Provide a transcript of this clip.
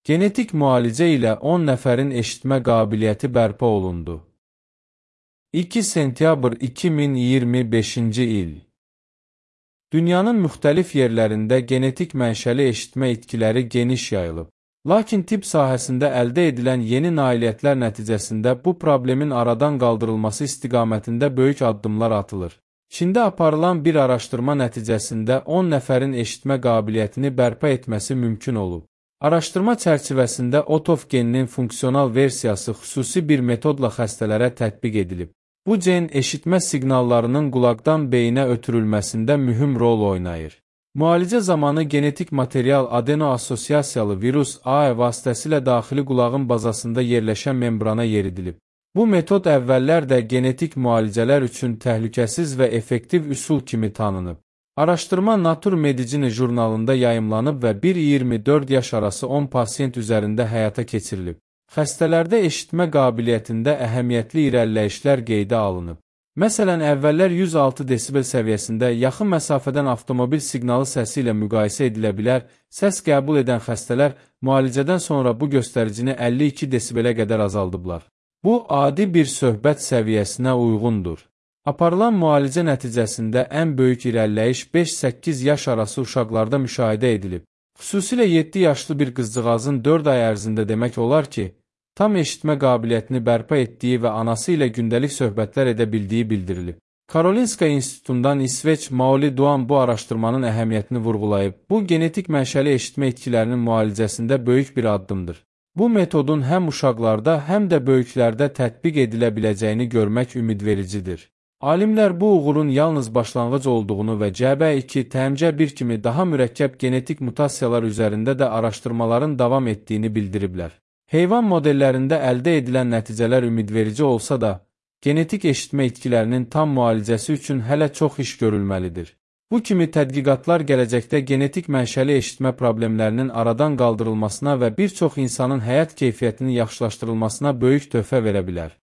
Genetik müalicə ilə 10 nəfərin eşitmə qabiliyyəti bərpa olundu. 2 sentyabr 2025-ci il. Dünyanın müxtəlif yerlərində genetik mənşəli eşitmə itkiləri geniş yayılıb. Lakin tibb sahəsində əldə edilən yeni nailiyyətlər nəticəsində bu problemin aradan qaldırılması istiqamətində böyük addımlar atılır. Çində aparılan bir araşdırma nəticəsində 10 nəfərin eşitmə qabiliyyətini bərpa etməsi mümkün olub. Araşdırma çərçivəsində OTOF geninin funksional versiyası xüsusi bir metodla xəstələrə tətbiq edilib. Bu gen eşitmə siqnallarının qulaqdan beyinə ötürülməsində mühüm rol oynayır. Müalicə zamanı genetik material adeno-assosiasiyalı virus AE vasitəsilə daxili qulağın bazasında yerləşən membrana yeridilib. Bu metod əvvəllər genetik müalicələr üçün təhlükəsiz və effektiv üsul kimi tanınıb. Araşdırma Nature Medicine jurnalında yayımlanıb və 1-24 yaş arası 10 pasiyent üzərində həyata keçirilib. Xəstələrdə eşitmə qabiliyyətində əhəmiyyətli irəliləyişlər qeydə alınıb. Məsələn, əvvəllər 106 desibel səviyyəsində yaxın məsafədən avtomobil siqnalı səsi ilə müqayisə edilə bilər, səs qəbul edən xəstələr müalicədən sonra bu göstəricini 52 desibelə qədər azaldıblar. Bu, adi bir söhbət səviyyəsinə uyğundur. Aparılan müalicə nəticəsində ən böyük irəliləyiş 5-8 yaş arası uşaqlarda müşahidə edilib. Xüsusilə 7 yaşlı bir qızcığazın 4 ay ərzində demək olar ki, tam eşitmə qabiliyyətini bərpa etdiyi və anası ilə gündəlik söhbətlər edə bildiyi bildirilib. Karolinska İnstitutundan İsveç Maoli Duan bu araşdırmanın əhəmiyyətini vurğulayıb. Bu, genetik mənşəli eşitmə itkilərinin müalicəsində böyük bir addımdır. Bu metodun həm uşaqlarda, həm də böyüklərdə tətbiq edilə biləcəyini görmək ümidvericidir. Alimlər bu uğurun yalnız başlanğıc olduğunu və CB2, TMC1 kimi daha mürəkkəb genetik mutasiyalar üzərində də araşdırmaların davam etdiyini bildiriblər. Heyvan modellərində əldə edilən nəticələr ümidverici olsa da, genetik eşitmə itkilərinin tam müalicəsi üçün hələ çox iş görülməlidir. Bu kimi tədqiqatlar gələcəkdə genetik mənşəli eşitmə problemlərinin aradan qaldırılmasına və bir çox insanın həyat keyfiyyətinin yaxşılaşdırılmasına böyük töhfə verə bilər.